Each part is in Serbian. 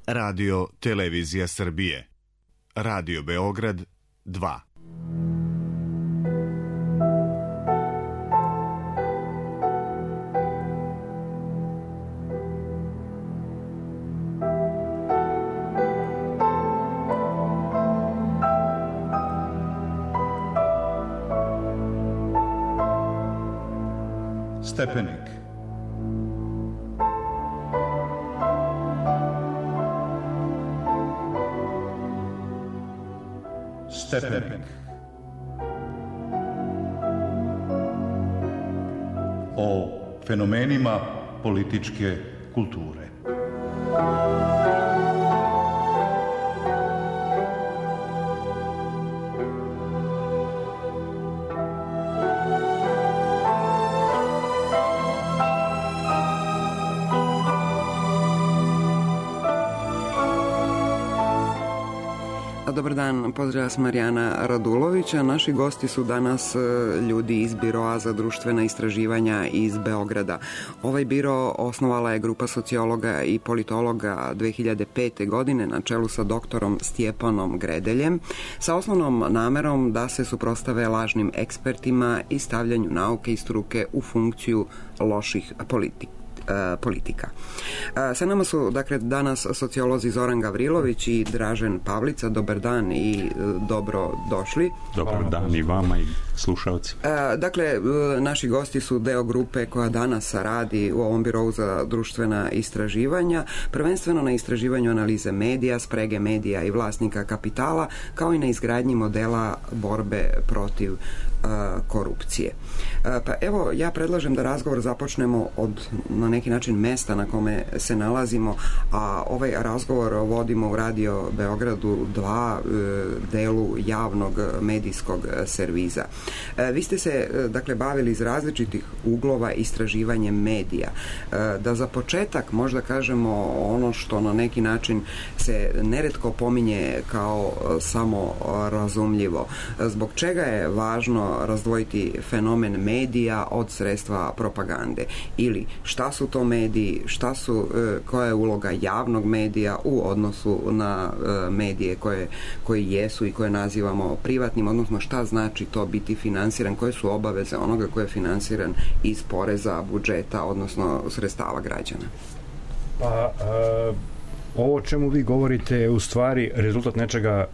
Radio Televizija Srbije. Radio Beograd 2. Stepenik. Stepenik. O fenomenima političke kulture. Dobar dan, pozdrav vas Marijana Radulovića. Naši gosti su danas ljudi iz Biroa za društvena istraživanja iz Beograda. Ovaj biro osnovala je grupa sociologa i politologa 2005. godine na čelu sa doktorom Stjepanom Gredeljem sa osnovnom namerom da se suprotstave lažnim ekspertima i stavljanju nauke i struke u funkciju loših politika. Sa nama su dakle danas sociolozi Zoran Gavrilović i Dražen Pavlica. Dobar dan i dobro došli. Dobar dan i vama i slušalci. Dakle, naši gosti su deo grupe koja danas radi u ovom birovu za društvena istraživanja, prvenstveno na istraživanju analize medija, sprege medija i vlasnika kapitala, kao i na izgradnji modela borbe protiv korupcije. Pa evo, ja predlažem da razgovor započnemo od na neki način mesta na kome se nalazimo, a ovaj razgovor vodimo u Radio Beogradu 2, delu javnog medijskog serviza. Vi ste se dakle bavili iz različitih uglova istraživanjem medija. Da za početak možda kažemo ono što na neki način se neretko pominje kao samo razumljivo. Zbog čega je važno razdvojiti fenomen medija od sredstva propagande? Ili šta su to mediji, koja je uloga javnog medija u odnosu na medije koji jesu i koje nazivamo privatnim, odnosno šta znači to biti finansiran, koje su obaveze onoga koji je finansiran iz poreza, budžeta, odnosno sredstava građana? Pa, ovo o čemu vi govorite je u stvari rezultat nečega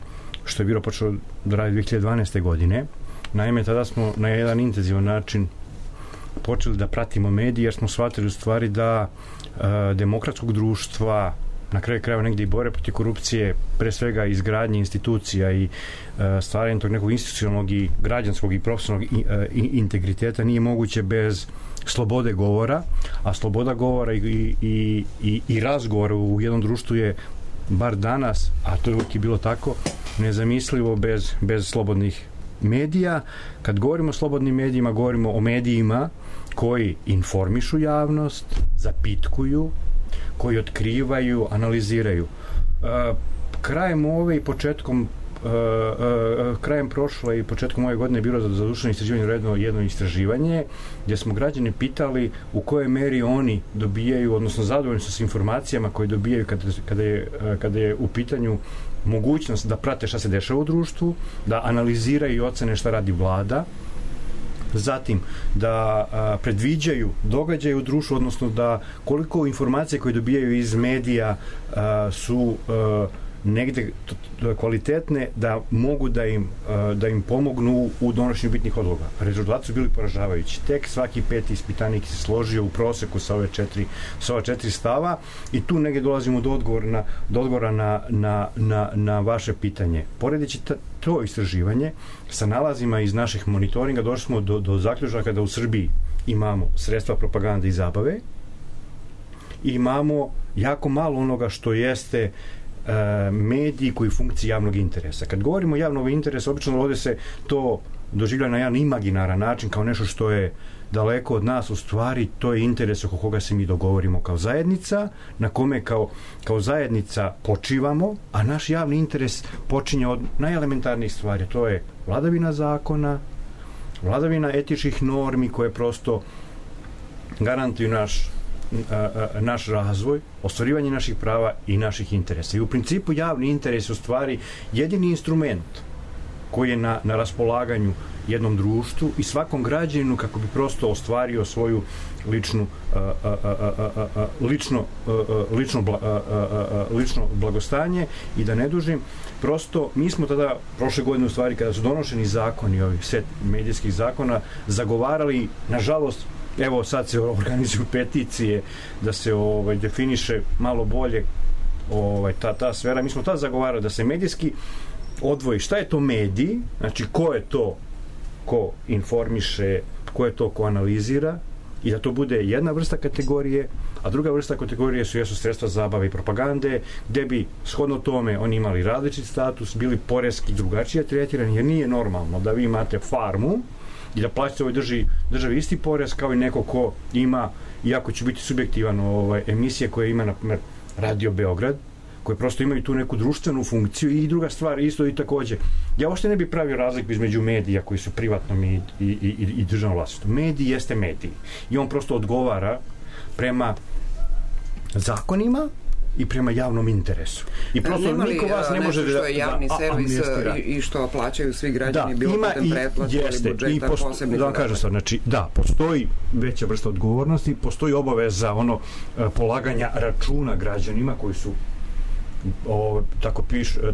što je bilo počelo da radi 2012. godine. Naime, tada smo na jedan intenzivan način počeli da pratimo medije, jer smo shvatili u stvari da demokratskog društva, na kraju krajeva negdje i bore protiv korupcije, pre svega izgradnje institucija i stvaranje tog nekog institucionalnog i građanskog i profesionalnog integriteta nije moguće bez slobode govora, a sloboda govora i razgovora u jednom društvu je, bar danas, a to je uvijek bilo tako, nezamislivo bez slobodnih medija. Kad govorimo o slobodnim medijima, govorimo o medijima koji informišu javnost, zapitkuju, koji otkrivaju, analiziraju. Krajem ove i početkom krajem prošle i početkom ove godine je bilo za društveno istraživanje jedno istraživanje gdje smo građane pitali u kojoj meri oni dobijaju, odnosno zadovoljni su s informacijama koje dobijaju kada je u pitanju mogućnost da prate šta se dešava u društvu, da analiziraju i ocene šta radi vlada, zatim da predviđaju događaje u društvu, odnosno da koliko informacije koje dobijaju iz medija su negde kvalitetne da mogu da im pomognu u donošenju bitnih odluka. Rezultati su bili poražavajući. Tek svaki peti ispitanik se složio u proseku sa ova četiri stava i tu negdje dolazimo do odgovora na vaše pitanje. Poredeći to istraživanje sa nalazima iz naših monitoringa došli smo do zaključaka da u Srbiji imamo sredstva propagande i zabave i imamo jako malo onoga što jeste mediji koji funkciji javnog interesa. Kad govorimo o javnog interesa, obično ovdje se to doživlja na jedan imaginaran način kao nešto što je daleko od nas. U stvari to je interes oko koga se mi dogovorimo kao zajednica, na kome kao zajednica počivamo, a naš javni interes počinje od najelementarnijih stvari. To je vladavina zakona, vladavina etičkih normi koje prosto garantuju naš naš razvoj, ostvarivanje naših prava i naših interesa. I u principu javni interes je u stvari jedini instrument koji je na raspolaganju jednom društvu i svakom građaninu kako bi prosto ostvario svoju lično blagostanje. I da ne dužim, prosto mi smo tada prošle godine u stvari kada su donošeni zakoni, ovih set medijskih zakona, zagovarali, nažalost, evo sad se organizuju peticije da se definiše malo bolje ta sfera. Mi smo tada zagovarali da se medijski odvoji šta je to mediji, znači ko je to ko informiše, ko je to ko analizira, i da to bude jedna vrsta kategorije, a druga vrsta kategorije jesu sredstva zabave i propagande, gde bi shodno tome oni imali različit status, bili poreski drugačije tretirani, jer nije normalno da vi imate farmu i da plaćate ovoj državi isti porez kao i neko ko ima, iako će biti subjektivan, emisije koje ima, na primjer, Radio Beograd, koje prosto imaju tu neku društvenu funkciju. I druga stvar, isto i takođe, ja uopšte ne bih pravio razliku između medija koji su privatnom i državnom vlasništvu. Medij jeste medij i on prosto odgovara prema zakonima i prema javnom interesu. I prosto niko vas ne može što je javni servis i što plaćaju svi građani, bilo putem pretplate ili budžeta, posebnih. Da vam kažem sad, znači, da, postoji veća vrsta odgovornosti, postoji obaveza polaganja računa građanima koji su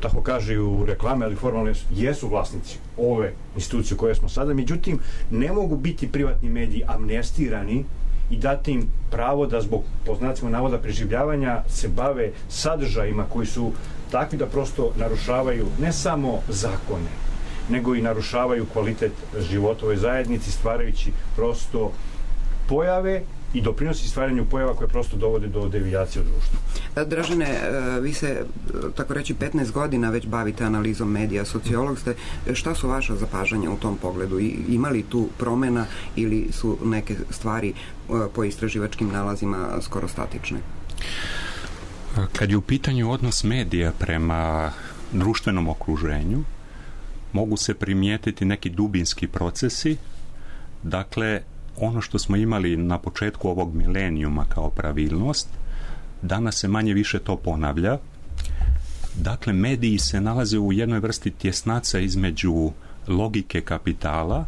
tako kaže u reklame, ali formalno jesu vlasnici ove institucije koje smo sada. Međutim, ne mogu biti privatni mediji amnestirani i dati im pravo da zbog, po znacima navoda, preživljavanja se bave sadržajima koji su takvi da prosto narušavaju ne samo zakone, nego i narušavaju kvalitet života ove zajednici, stvarajući prosto pojave i doprinosi stvaranju pojava koje prosto dovode do devijacije u društvu. Dražene, vi se, tako reći, 15 godina već bavite analizom medija, sociolog ste. Šta su vaša zapažanja u tom pogledu? Ima li tu promena ili su neke stvari po istraživačkim nalazima skoro statične? Kad je u pitanju odnos medija prema društvenom okruženju, mogu se primijetiti neki dubinski procesi. Dakle, ono što smo imali na početku ovog milenijuma kao pravilnost, danas se manje više to ponavlja. Dakle, mediji se nalaze u jednoj vrsti tjesnaca između logike kapitala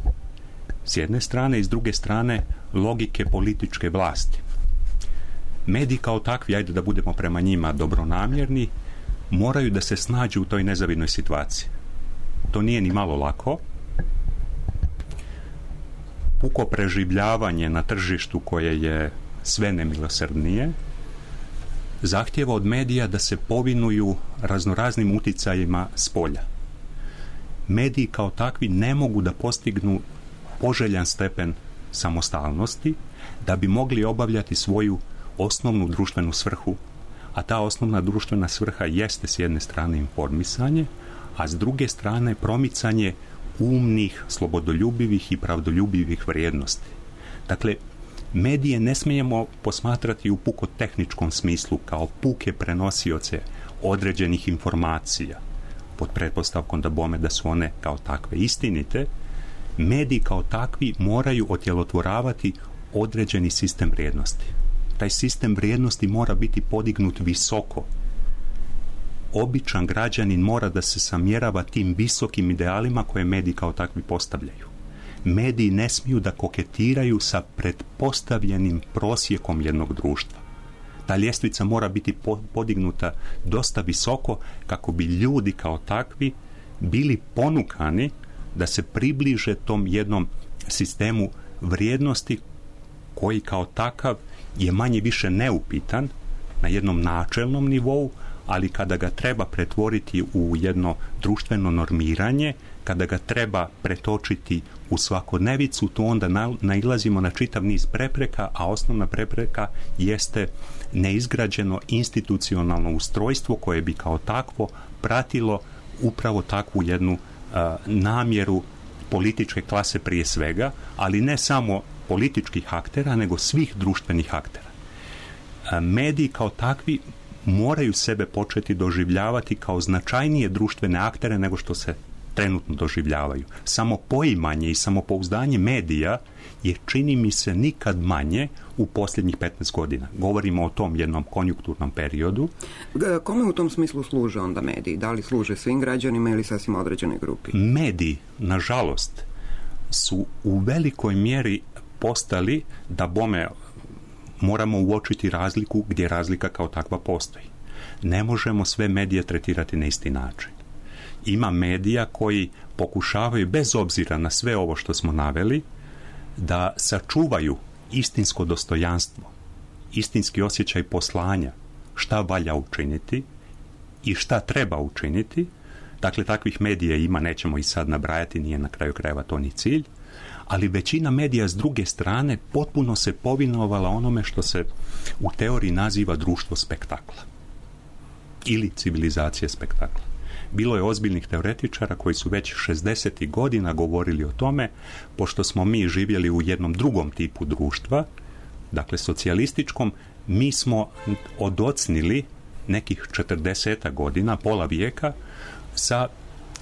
s jedne strane i s druge strane logike političke vlasti. Mediji kao takvi, ajde da budemo prema njima dobronamjerni, moraju da se snađu u toj nezavidnoj situaciji. To nije ni malo lako. Puko preživljavanje na tržištu koje je sve nemilosrdnije zahtjeva od medija da se povinuju raznoraznim uticajima s polja. Mediji kao takvi ne mogu da postignu poželjan stepen samostalnosti da bi mogli obavljati svoju osnovnu društvenu svrhu, a ta osnovna društvena svrha jeste s jedne strane informisanje, a s druge strane promicanje umnih, slobodoljubivih i pravdoljubivih vrijednosti. Dakle, medije ne smijemo posmatrati u puko tehničkom smislu kao puke prenosioce određenih informacija, pod pretpostavkom da bome da su one kao takve istinite. Mediji kao takvi moraju otjelotvoravati određeni sistem vrijednosti. Taj sistem vrijednosti mora biti podignut visoko. Običan građanin mora da se samjerava tim visokim idealima koje mediji kao takvi postavljaju. Mediji ne smiju da koketiraju sa pretpostavljenim prosjekom jednog društva. Ta ljestvica mora biti podignuta dosta visoko kako bi ljudi kao takvi bili ponukani da se približe tom jednom sistemu vrijednosti koji kao takav je manje više neupitan na jednom načelnom nivou, ali kada ga treba pretvoriti u jedno društveno normiranje, kada ga treba pretočiti u svakodnevicu, to onda nailazimo na čitav niz prepreka, a osnovna prepreka jeste neizgrađeno institucionalno ustrojstvo koje bi kao takvo pratilo upravo takvu jednu namjeru političke klase prije svega, ali ne samo političkih aktera, nego svih društvenih aktera. Mediji kao takvi moraju sebe početi doživljavati kao značajnije društvene aktere nego što se trenutno doživljavaju. Samo poimanje i samopouzdanje medija je, čini mi se, nikad manje u posljednjih 15 godina. Govorimo o tom jednom konjunkturnom periodu. Kome u tom smislu služe onda mediji? Da li služe svim građanima ili sasvim određenoj grupi? Mediji, nažalost, su u velikoj mjeri postali, da bome moramo uočiti razliku gdje razlika kao takva postoji. Ne možemo sve medije tretirati na isti način. Ima medija koji pokušavaju, bez obzira na sve ovo što smo naveli, da sačuvaju istinsko dostojanstvo, istinski osjećaj poslanja, šta valja učiniti i šta treba učiniti. Dakle, takvih medija ima, nećemo i sad nabrajati, nije na kraju krajeva to ni cilj, ali većina medija s druge strane potpuno se povinovala onome što se u teoriji naziva društvo spektakla ili civilizacija spektakla. Bilo je ozbiljnih teoretičara koji su već 60. godina govorili o tome, pošto smo mi živjeli u jednom drugom tipu društva, dakle socijalističkom, mi smo odocnili nekih 40 godina, pola vijeka, sa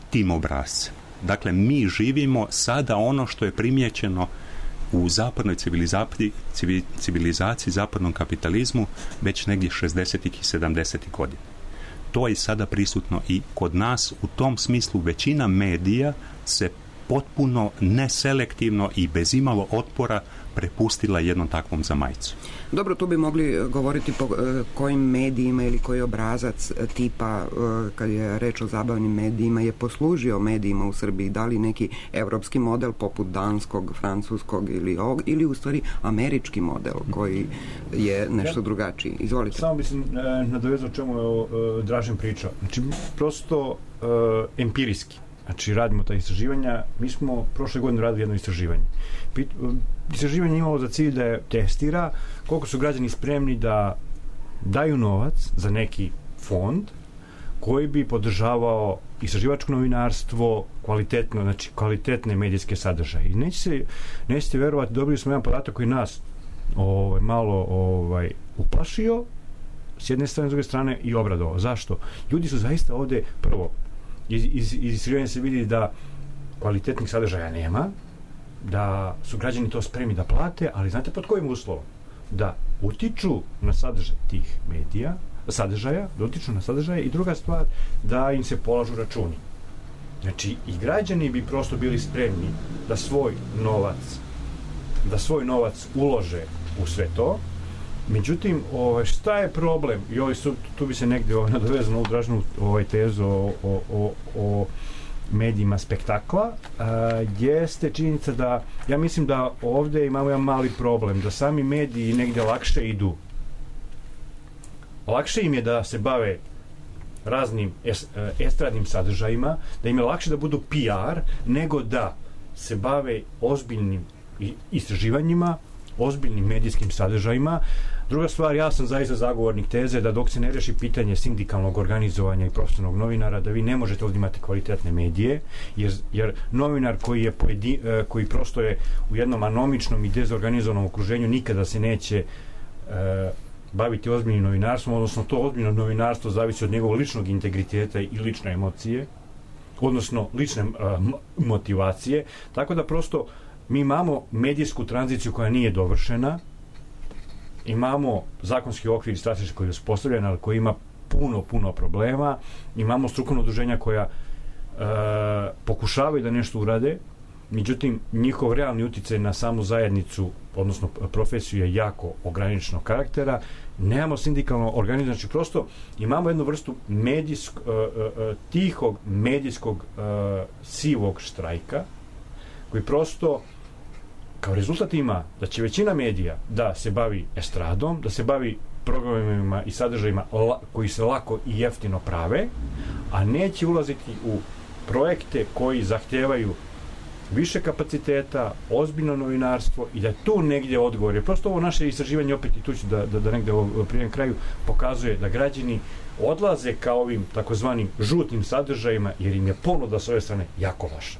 tim obrascem. Dakle, mi živimo sada ono što je primijećeno u zapadnoj civilizaciji, zapadnom kapitalizmu već negdje 60. i 70. godina. To je sada prisutno i kod nas. U tom smislu većina medija se potpuno neselektivno i bez imalo otpora prepustila jednom takvom zamajcu. Dobro, tu bi mogli govoriti po kojim medijima ili koji obrazac tipa, kad je reč o zabavnim medijima, je poslužio medijima u Srbiji. Da li neki evropski model poput danskog, francuskog ili u stvari američki model koji je nešto drugačiji. Izvolite. Samo bi se nadovezao čemu je Dražen pričao. Znači, prosto empirijski. Znači, radimo ta istraživanja. Mi smo prošle godine radili jedno istraživanje. Istraživanje imalo za cilj da je testira koliko su građani spremni da daju novac za neki fond koji bi podržavao istraživačko novinarstvo, kvalitetno, znači kvalitetne medijske sadržaje. I nećete verovati, dobili smo jedan podatak koji nas malo uplašio s jedne strane, s druge strane i obradovao. Zašto? Ljudi su zaista ovde, prvo, iz istraživanja se vidi da kvalitetnih sadržaja nema, da su građani to spremni da plate, ali znate pod kojim uslovom? Da utiču na sadržaj tih medija, da utiču na sadržaje, i druga stvar, da im se polažu računi. Znači, i građani bi prosto bili spremni da svoj novac ulože u sve to. Međutim, šta je problem? I tu bi se negdje nadovezano u Dražnu tezu o medijima spektakla, jeste činjenica da, ja mislim da ovdje imamo jedan mali problem, da sami mediji negdje lakše idu. Lakše im je da se bave raznim estradnim sadržajima, da im je lakše da budu PR, nego da se bave ozbiljnim istraživanjima, ozbiljnim medijskim sadržajima. Druga stvar, ja sam zaista zagovornik teze da dok se ne reši pitanje sindikalnog organizovanja i profesionalnog novinara, da vi ne možete ovdje imati kvalitetne medije, jer novinar koji prosto je u jednom anomičnom i dezorganizovanom okruženju nikada se neće baviti ozbiljnim novinarstvom, odnosno to ozbiljno novinarstvo zavisi od njegovog ličnog integriteta i lične emocije, odnosno lične motivacije, tako da prosto mi imamo medijsku tranziciju koja nije dovršena, imamo zakonski okvir i strateški koji je uspostavljen, ali koji ima puno problema, imamo strukovno udruženja koja pokušavaju da nešto urade, međutim njihov realni uticaj na samu zajednicu, odnosno profesiju, je jako ograničenog karaktera. Nemamo sindikalno organizovanje, znači prosto imamo jednu vrstu tihog medijskog sivog štrajka, koji prosto kao rezultat ima da će većina medija da se bavi estradom, da se bavi programima i sadržajima koji se lako i jeftino prave, a neće ulaziti u projekte koji zahtevaju više kapaciteta, ozbiljno novinarstvo, i da tu negdje odgovor je. Prosto ovo naše istraživanje, opet i tu ću da negdje prije kraju, pokazuje da građani odlaze ka ovim takozvanim žutim sadržajima, jer im je ponuda s ove strane jako vaša.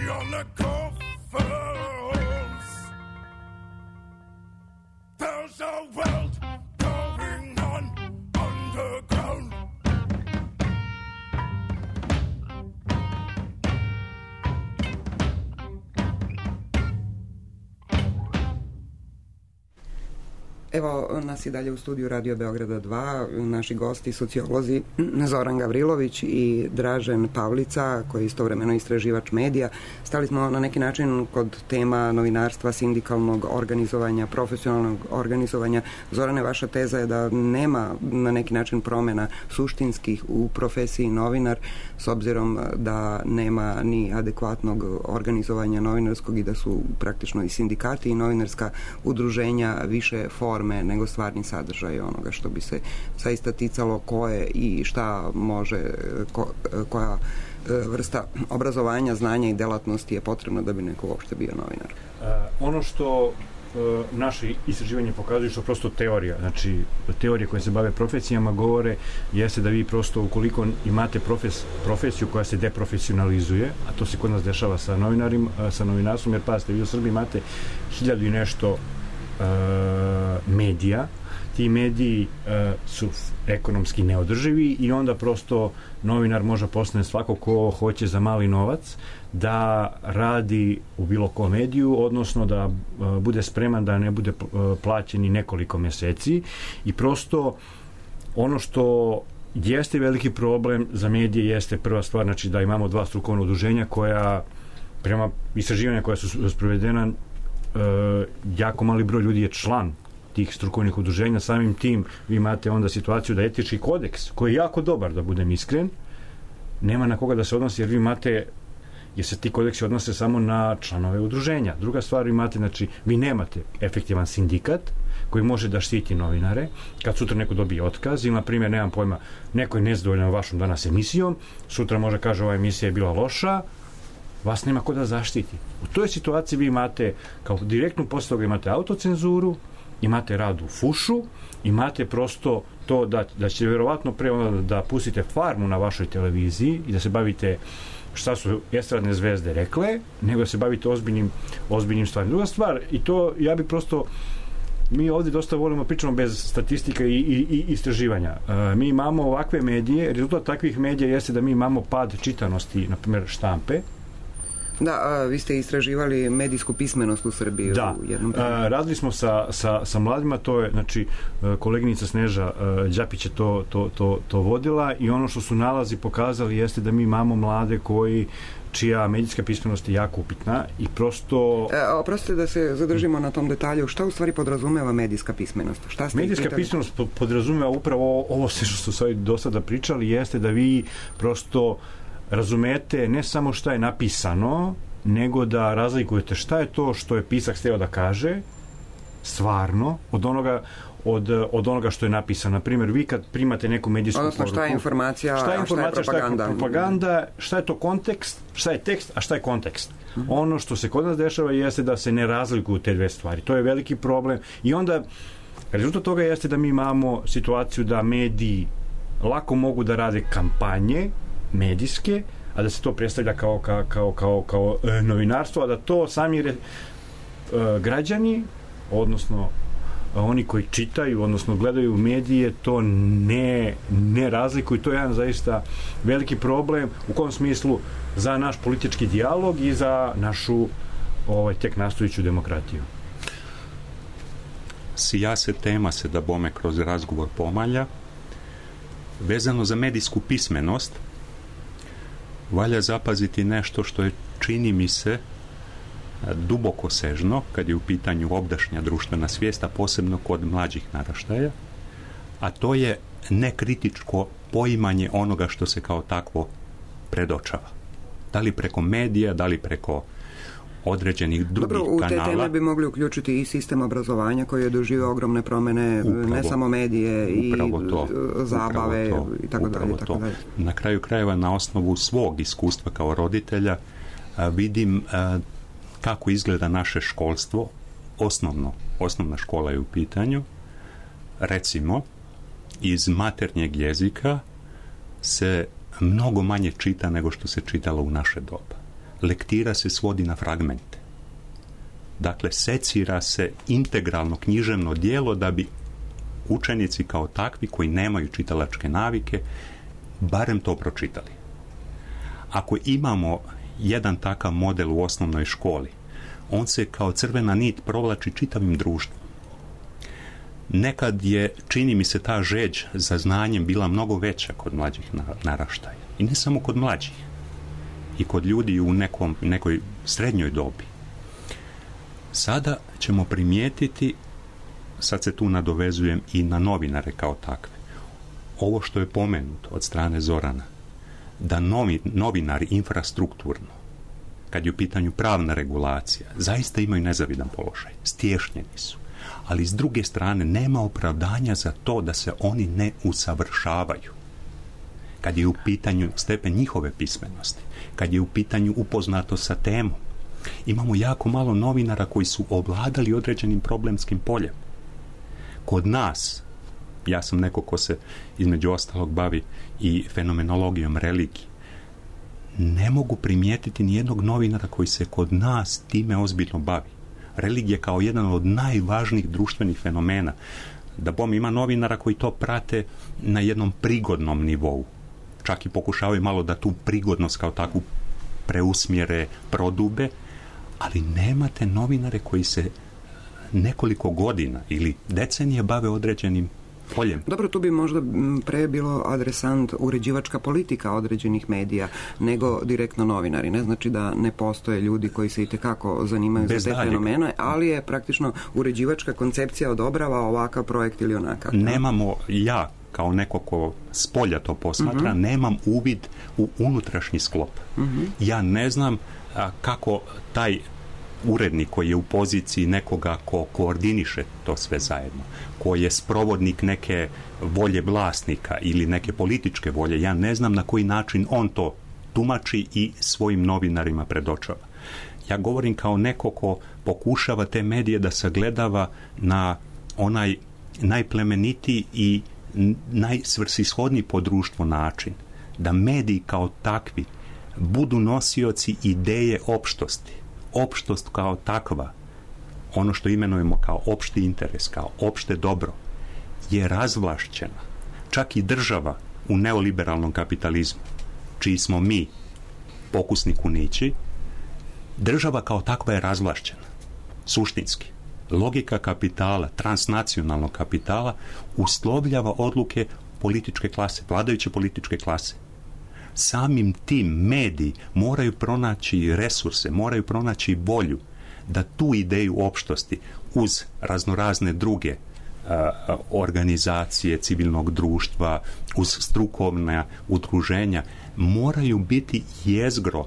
on the coffers. There's a world going on underground. Evo nas i dalje u studiju Radio Beograda 2, naši gosti, sociolozi Zoran Gavrilović i Dražen Pavlica, koji je istovremeno istraživač medija. Stali smo na neki način kod tema novinarstva, sindikalnog organizovanja, profesionalnog organizovanja. Zorane, vaša teza je da nema na neki način promjena suštinskih u profesiji novinar, s obzirom da nema ni adekvatnog organizovanja novinarskog i da su praktično i sindikati i novinarska udruženja više forme nego stvarni sadržaj onoga što bi se zaista ticalo koje i šta može, koja vrsta obrazovanja, znanja i delatnosti je potrebno da bi neko uopšte bio novinar. Ono što naše istraživanje pokazuju, što prosto teorija, znači teorije koje se bave profesijama govore, jeste da vi prosto ukoliko imate profesiju koja se deprofesionalizuje, a to se kod nas dešava sa novinarstvom, jer pazite, vi u Srbiji imate 1000 i nešto medija, ti mediji su ekonomski neodrživi i onda prosto novinar može postane svako ko hoće za mali novac da radi u bilo kom mediju, odnosno da bude spreman da ne bude plaćen i nekoliko meseci i prosto ono što jeste veliki problem za medije jeste prva stvar, znači da imamo 2 strukovna udruženja koja prema istraživanja koja su sprovedena jako mali broj ljudi je član tih strukovnih udruženja, samim tim vi imate onda situaciju da etički kodeks, koji je jako dobar, da budem iskren, nema na koga da se odnosi, jer vi imate, jer se ti kodeksi odnose samo na članove udruženja. Druga stvar, vi imate, znači, vi nemate efektivan sindikat koji može da štiti novinare, kad sutra neko dobije otkaz, ili, na primjer, nemam pojma, neko je nezadovoljan vašom danas emisijom, sutra može kaže ova emisija je bila loša, vas nema ko da zaštiti. U toj situaciji vi imate, kao direktnu posle toga imate autocenzuru, imate rad u fušu, imate prosto to da ćete vjerovatno pre onda da pustite Farmu na vašoj televiziji i da se bavite šta su estradne zvezde rekle, nego da se bavite ozbiljnim stvarima. Druga stvar, i to ja bi prosto, mi ovdje dosta volimo pričamo bez statistika i istraživanja. Mi imamo ovakve medije, rezultat takvih medija jeste da mi imamo pad čitanosti, na primjer štampe. Da, vi ste istraživali medijsku pismenost u Srbiji. Da, u jednom radili smo sa mladima, to je, znači, koleginica Sneža Đapić je to vodila i ono što su nalazi pokazali jeste da mi imamo mlade čija medijska pismenost je jako upitna i prosto... Oprostite da se zadržimo na tom detalju. Šta u stvari podrazumeva medijska pismenost? Medijska pismenost podrazumeva upravo ovo sve što su do sada pričali, jeste da vi prosto razumete ne samo šta je napisano, nego da razlikujete šta je to što je pisac hteo da kaže stvarno od onoga što je napisano. Na primjer, vi kad primate neku medijsku poruku, šta je informacija, šta je propaganda, šta je to kontekst, šta je tekst, a šta je kontekst. Ono što se kod nas dešava jeste da se ne razlikuju te dve stvari. To je veliki problem i onda rezultat toga jeste da mi imamo situaciju da mediji lako mogu da rade kampanje medijske, a da se to predstavlja kao novinarstvo, a da to sami građani, odnosno oni koji čitaju, odnosno gledaju medije, to ne razlikuju. To je jedan zaista veliki problem, u kom smislu za naš politički dijalog i za našu tek nastojiću demokratiju. Sija se tema se da bome kroz razgovor pomalja. Vezano za medijsku pismenost, valja zapaziti nešto što je, čini mi se, duboko sežno kad je u pitanju obdašnja društvena svijest, a posebno kod mlađih naraštaja, a to je nekritičko poimanje onoga što se kao takvo predočava. Da li preko medija, da li preko određenih drugih kanala. Dobro, u te teme bi mogli uključiti i sistem obrazovanja koji je doživio ogromne promjene, ne samo medije i zabave i tako dalje. Na kraju krajeva, na osnovu svog iskustva kao roditelja, vidim kako izgleda naše školstvo, osnovna škola je u pitanju. Recimo, iz maternjeg jezika se mnogo manje čita nego što se čitalo u naše doba. lektira se svodi na fragmente. Dakle, secira se integralno književno djelo da bi učenici kao takvi koji nemaju čitalačke navike barem to pročitali. Ako imamo jedan takav model u osnovnoj školi, on se kao crvena nit provlači čitavim društvom. Nekad je, čini mi se, ta žeđ za znanjem bila mnogo veća kod mlađih naraštaja. I ne samo kod mlađih. I kod ljudi u nekoj srednjoj dobi. Sada ćemo primijetiti, sad se tu nadovezujem i na novinare kao takve, ovo što je pomenuto od strane Zorana, da novinari infrastrukturno, kad je u pitanju pravna regulacija, zaista imaju nezavidan položaj, stješnjeni su. Ali s druge strane nema opravdanja za to da se oni ne usavršavaju. Kad je u pitanju stepen njihove pismenosti, kad je u pitanju upoznatost sa temom, imamo jako malo novinara koji su ovladali određenim problemskim poljem. Kod nas, ja sam neko ko se između ostalog bavi i fenomenologijom religije, ne mogu primijetiti nijednog novinara koji se kod nas time ozbiljno bavi. Religija kao jedan od najvažnijih društvenih fenomena. Da bom ima novinara koji to prate na jednom prigodnom nivou. Čak i pokušavaju malo da tu prigodnost kao takvu preusmjere, prodube, ali nemate novinare koji se nekoliko godina ili decenije bave određenim poljem. Dobro, tu bi možda pre bilo adresant uređivačka politika određenih medija nego direktno novinari. Ne znači da ne postoje ljudi koji se itekako zanimaju za te fenomene, ali je praktično uređivačka koncepcija odobrava ovakav projekt ili onakav. Nemamo, ja kao neko ko s polja to posmatra, nemam uvid u unutrašnji sklop. Ja ne znam kako taj urednik koji je u poziciji nekoga ko koordiniše to sve zajedno, koji je sprovodnik neke volje vlasnika ili neke političke volje, ja ne znam na koji način on to tumači i svojim novinarima predočava. Ja govorim kao neko ko pokušava te medije da sagledava na onaj najplemenitiji i najsvrsishodniji po društvu način, da mediji kao takvi budu nosioci ideje opštosti. Opštost kao takva, ono što imenujemo kao opšti interes, kao opšte dobro, je razvlašćena. Čak i država u neoliberalnom kapitalizmu, čiji smo mi pokusni kunići, država kao takva je razvlašćena. Suštinski. Logika kapitala, transnacionalnog kapitala, uslovljava odluke političke klase, vladajuće političke klase. Samim tim mediji moraju pronaći resurse, moraju pronaći volju da tu ideju opštosti uz raznorazne druge organizacije civilnog društva, uz strukovna udruženja, moraju biti jezgro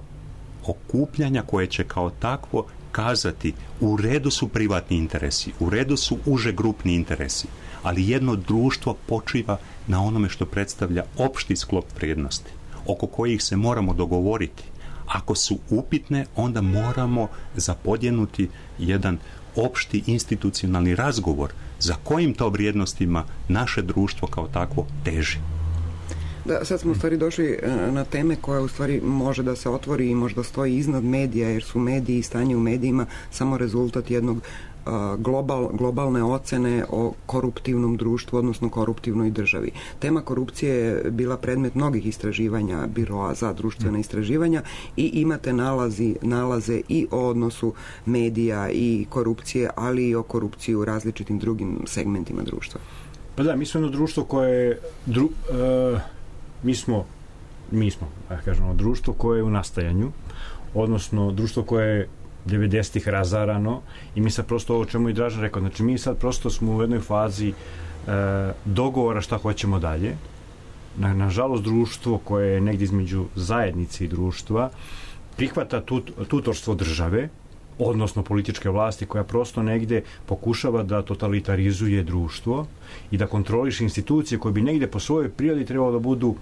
okupljanja koje će kao takvo kazati u redu su privatni interesi, u redu su uže grupni interesi, ali jedno društvo počiva na onome što predstavlja opšti sklop vrijednosti, oko kojih se moramo dogovoriti. Ako su upitne, onda moramo zapodjenuti jedan opšti institucionalni razgovor za kojim to vrijednostima naše društvo kao takvo teži. Da, sad smo u stvari došli na teme koja u stvari može da se otvori i možda stoji iznad medija, jer su mediji i stanje u medijima samo rezultat jednog globalne ocene o koruptivnom društvu, odnosno koruptivnoj državi. Tema korupcije je bila predmet mnogih istraživanja Biroa za društvena istraživanja i imate nalaze i o odnosu medija i korupcije, ali i o korupciji u različitim drugim segmentima društva. Pa da, mi smo jedno društvo koje mi smo kažemo, društvo koje je u nastajanju, odnosno društvo koje je 90-ih razarano i mi sad prosto ovo čemu i Dražan rekao, znači mi sad prosto smo u jednoj fazi dogovora šta hoćemo dalje. Nažalost, društvo koje je negdje između zajednice i društva prihvata tutorstvo države, odnosno političke vlasti, koja prosto negdje pokušava da totalitarizuje društvo i da kontroliše institucije koje bi negdje po svojoj prirodi trebalo da budu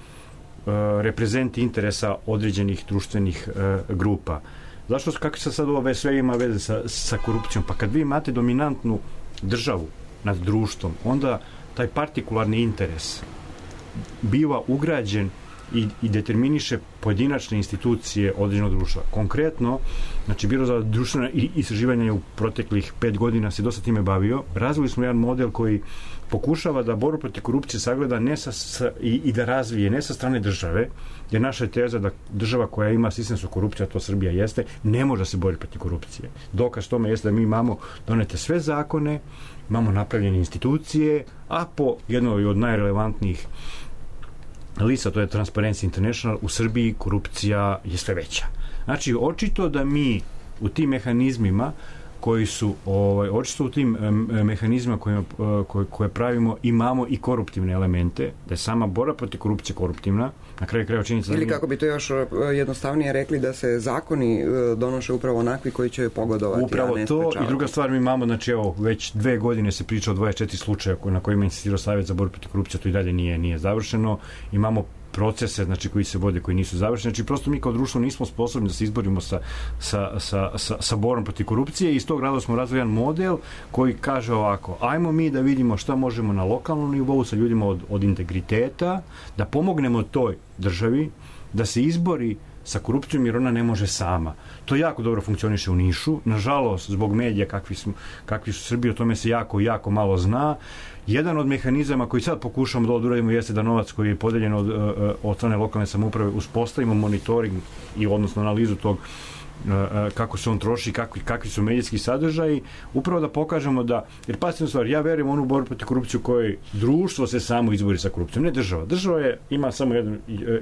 reprezenti interesa određenih društvenih grupa. Zašto, kako se sad ovo sve ima veze sa korupcijom? Pa kad vi imate dominantnu državu nad društvom, onda taj partikularni interes biva ugrađen i determiniše pojedinačne institucije određenog društva. Konkretno, znači Biro za društvena istraživanja u proteklih 5 godina se dosta time bavio. Razvili smo jedan model koji pokušava da borbu protiv korupcije sagleda i da razvije ne sa strane države, jer naša je teza da država koja ima sistemsku korupciju, a to Srbija jeste, ne može da se bori protiv korupcije. Dokaz tome jeste da mi imamo donete sve zakone, imamo napravljene institucije, a po jednoj od najrelevantnijih lista, to je Transparency International, u Srbiji korupcija je sve veća. Znači, očito da mi u tim mehanizmima koji su, očito u tim mehanizmima koje pravimo imamo i koruptivne elemente, da je sama borba protiv korupcije koruptivna, na kraju krajeva činjenica... Ili kako bi to još jednostavnije rekli, da se zakoni donoše upravo onakvi koji će pogodovati, upravo a ne to. sprečavati. I druga stvar, mi imamo, znači evo, već 2 godine se priča o 24 slučaja na kojima je insistirao Savjet za borbu protiv korupcije, to i dalje nije završeno. Imamo procese, znači, koji se vode, koji nisu završeni. Znači, prosto mi kao društvo nismo sposobni da se izborimo sa borbom protiv korupcije i iz tog razloga smo razvili jedan model koji kaže ovako: ajmo mi da vidimo šta možemo na lokalnom nivou sa ljudima od integriteta, da pomognemo toj državi da se izbori sa korupcijom, jer ona ne može sama. To jako dobro funkcioniše u Nišu. Nažalost, zbog medija kakvi su Srbiji, o tome se jako malo zna. Jedan od mehanizama koji sad pokušamo da uradimo jeste da novac koji je podeljen od strane lokalne samouprave uspostavimo monitoring i odnosno analizu tog kako se on troši, kakvi su medijski sadržaji, upravo da pokažemo da, jer pasivna stvar, ja verujem u onu borbu protiv korupcije u kojoj društvo se samo izbori sa korupcijom, ne država. Država ima samo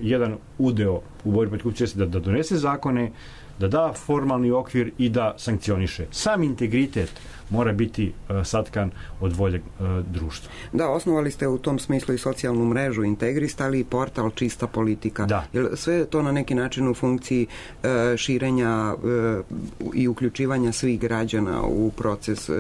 jedan udeo u borbi protiv korupcije, da donese zakone, da formalni okvir i da sankcioniše. Sam integritet mora biti satkan od volje društva. Da, osnovali ste u tom smislu i socijalnu mrežu Integrist, ali i portal Čista politika. Da. Jer sve je to na neki način u funkciji širenja i uključivanja svih građana u proces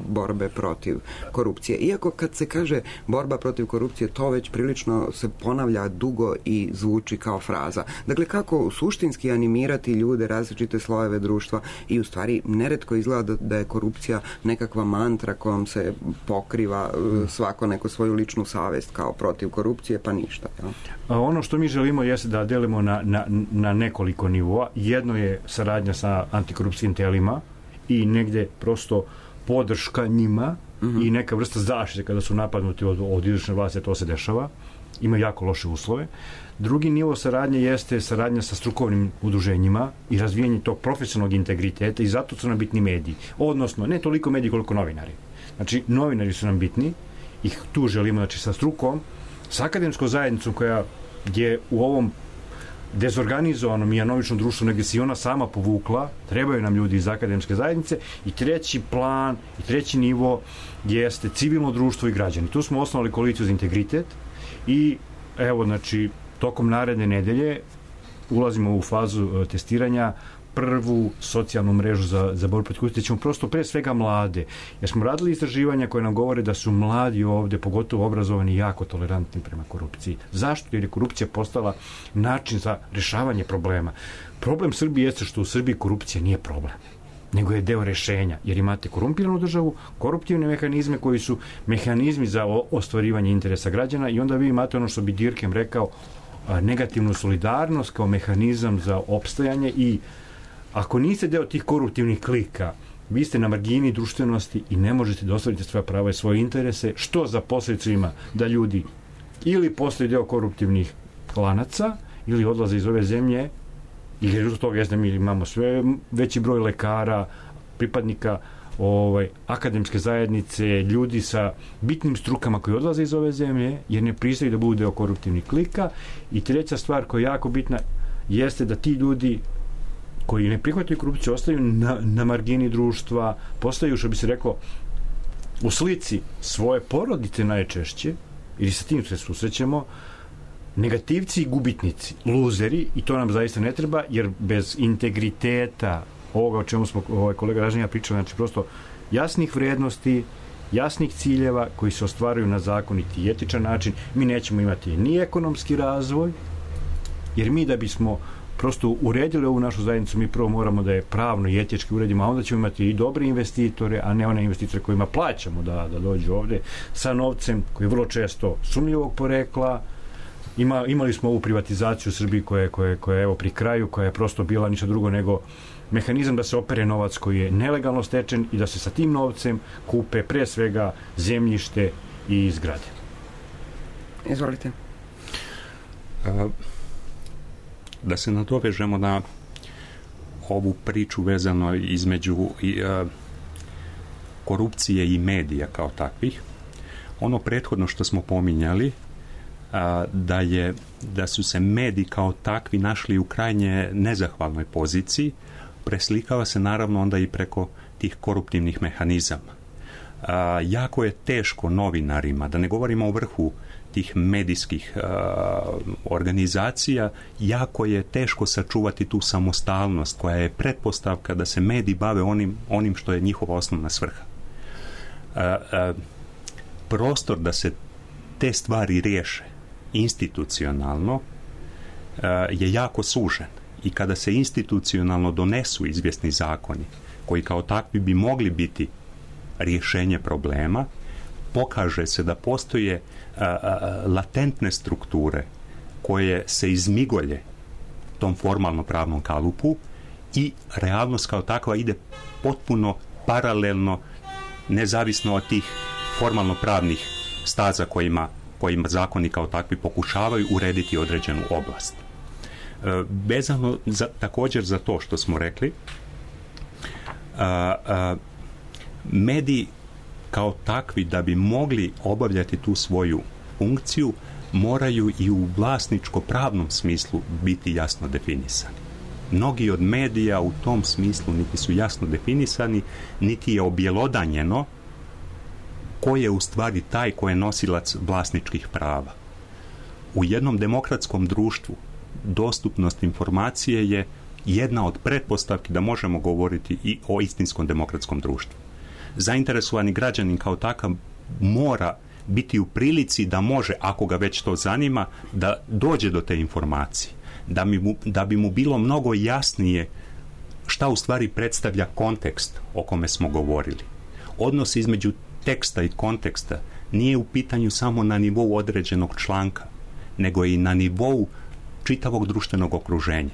borbe protiv korupcije. Iako kad se kaže borba protiv korupcije, to već prilično se ponavlja dugo i zvuči kao fraza. Dakle, kako suštinski animirati ljude, različite slojeve društva, i u stvari neretko izgleda da je korupcija nekakva mantra kojom se pokriva svako neko svoju ličnu savest kao protiv korupcije, pa ništa. Ja? Ono što mi želimo jeste da delimo na nekoliko nivoa. Jedno je saradnja sa antikorupcijskim telima i negde prosto podrška njima i neka vrsta zaštite kada su napadnuti od izvršne vlasti, to se dešava. Ima jako loše uslove. Drugi nivo saradnje jeste saradnja sa strukovnim udruženjima i razvijanje tog profesionalnog integriteta, i zato su nam bitni mediji. Odnosno, ne toliko mediji koliko novinari. Znači, novinari su nam bitni i tu želimo, znači, sa strukom, sa akademskom zajednicom koja je u ovom dezorganizovanom i anovičnom društvu negdje se i ona sama povukla, trebaju nam ljudi iz akademske zajednice. I treći plan i treći nivo jeste civilno društvo i građani. Tu smo osnovali koaliciju za integritet i evo, znači, tokom naredne nedelje ulazimo u fazu testiranja prvu socijalnu mrežu za borbu protiv korupcije. Ćemo prosto pre svega mlade, jer smo radili istraživanja koje nam govore da su mladi ovde, pogotovo obrazovani, jako tolerantni prema korupciji. Zašto? Jer je korupcija postala način za rešavanje problema. Problem Srbije jeste što u Srbiji korupcija nije problem, nego je deo rešenja, jer imate korumpiranu državu, koruptivne mehanizme koji su mehanizmi za ostvarivanje interesa građana, i onda vi imate ono što bi Dirkem rekao, negativnu solidarnost kao mehanizam za opstajanje, i ako niste deo tih koruptivnih klika, vi ste na margini društvenosti i ne možete da ostvarite svoja prava i svoje interese, što za posljedicu ima da ljudi ili postaju deo koruptivnih klanaca ili odlaze iz ove zemlje, ili rezultat toga je da mi imamo sve veći broj lekara, pripadnika akademske zajednice, ljudi sa bitnim strukama koji odlaze iz ove zemlje jer ne pristaju da budu deo koruptivnih klika. I treća stvar koja je jako bitna jeste da ti ljudi koji ne prihvataju korupciju ostaju na margini društva, postaju, što bi se reklo, u slici svoje porodice najčešće, ili sa tim se susrećemo, negativci i gubitnici, luzeri, i to nam zaista ne treba, jer bez integriteta ovoga o čemu smo kolega Ražnja pričali, znači prosto jasnih vrednosti, jasnih ciljeva koji se ostvaruju na zakoniti i etičan način, mi nećemo imati ni ekonomski razvoj, jer mi da bismo prosto uredili ovu našu zajednicu, mi prvo moramo da je pravno i etički uredimo, a onda ćemo imati i dobre investitore, a ne one investitore kojima plaćamo da dođu ovde sa novcem koji je vrlo često sumnjivog porekla, imali smo ovu privatizaciju u Srbiji koja je evo pri kraju, koja je prosto bila ništa drugo nego mehanizam da se opere novac koji je nelegalno stečen i da se sa tim novcem kupe pre svega zemljište i zgrade. Izvolite. Da se nadovežemo na ovu priču vezano između korupcije i medija kao takvih. Ono prethodno što smo pominjali, da su se mediji kao takvi našli u krajnje nezahvalnoj poziciji, preslikava se naravno onda i preko tih koruptivnih mehanizama. Jako je teško novinarima, da ne govorimo o vrhu tih medijskih organizacija, jako je teško sačuvati tu samostalnost koja je pretpostavka da se mediji bave onim što je njihova osnovna svrha. Prostor da se te stvari riješe institucionalno je jako sužen i kada se institucionalno donesu izvjesni zakoni koji kao takvi bi mogli biti rješenje problema, pokaže se da postoje latentne strukture koje se izmigolje tom formalno pravnom kalupu i realnost kao takva ide potpuno paralelno, nezavisno od tih formalno pravnih staza kojima zakoni kao takvi pokušavaju urediti određenu oblast. Vezano također za to što smo rekli, mediji kao takvi da bi mogli obavljati tu svoju funkciju moraju i u vlasničko-pravnom smislu biti jasno definisani. Mnogi od medija u tom smislu niti su jasno definisani, niti je objelodanjeno ko je u stvari taj ko je nosilac vlasničkih prava. U jednom demokratskom društvu dostupnost informacije je jedna od pretpostavki da možemo govoriti i o istinskom demokratskom društvu. Zainteresovani građanin kao takav mora biti u prilici da može, ako ga već to zanima, da dođe do te informacije. Da bi mu bilo mnogo jasnije šta u stvari predstavlja kontekst o kome smo govorili. Odnos između teksta i konteksta nije u pitanju samo na nivou određenog članka, nego i na nivou čitavog društvenog okruženja.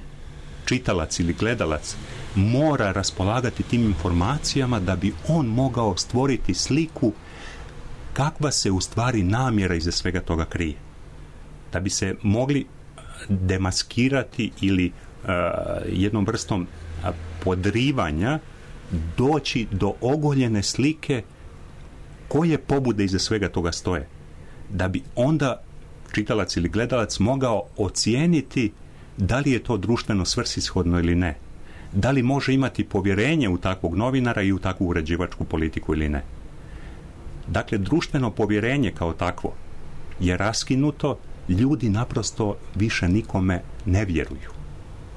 Čitalac ili gledalac mora raspolagati tim informacijama da bi on mogao stvoriti sliku kakva se u stvari namjera iza svega toga krije. Da bi se mogli demaskirati ili jednom vrstom podrivanja doći do ogoljene slike koje pobude iza svega toga stoje. Da bi onda čitalac ili gledalac mogao ocijeniti da li je to društveno svrsishodno ili ne. Da li može imati povjerenje u takvog novinara i u takvu uređivačku politiku ili ne. Dakle, društveno povjerenje kao takvo je raskinuto, ljudi naprosto više nikome ne vjeruju.